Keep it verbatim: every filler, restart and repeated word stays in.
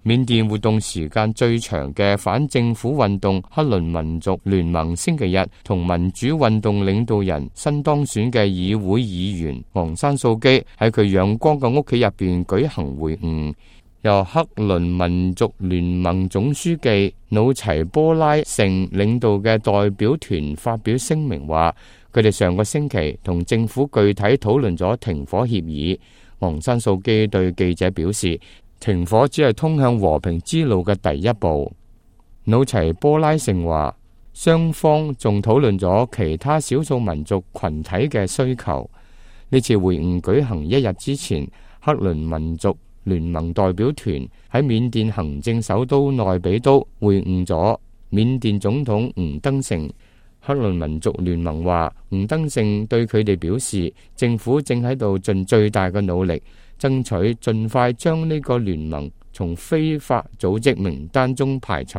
緬甸活動時間最長嘅反政府運動克倫民族聯盟星期日同民主運動領導人新當選嘅議會議員昂山素基喺佢陽光嘅屋企入邊舉行會晤。由克倫民族聯盟總書記努齊波拉盛領導嘅代表團發表聲明話，佢哋上個星期同政府具體討論咗停火協議。昂山素基對記者表示，停火只係通向和平之路嘅第一步。努齊波拉盛話，雙方仲討論咗其他少數民族群體嘅需求。呢次會晤舉行一日之前，克倫民族聯盟代表團喺緬甸行政首都內比都會晤咗緬甸總統吳登盛。克倫民族聯盟話，吳登盛對佢哋表示，政府正喺度盡最大嘅努力，爭取盡快將呢個聯盟從非法組織名單中排除。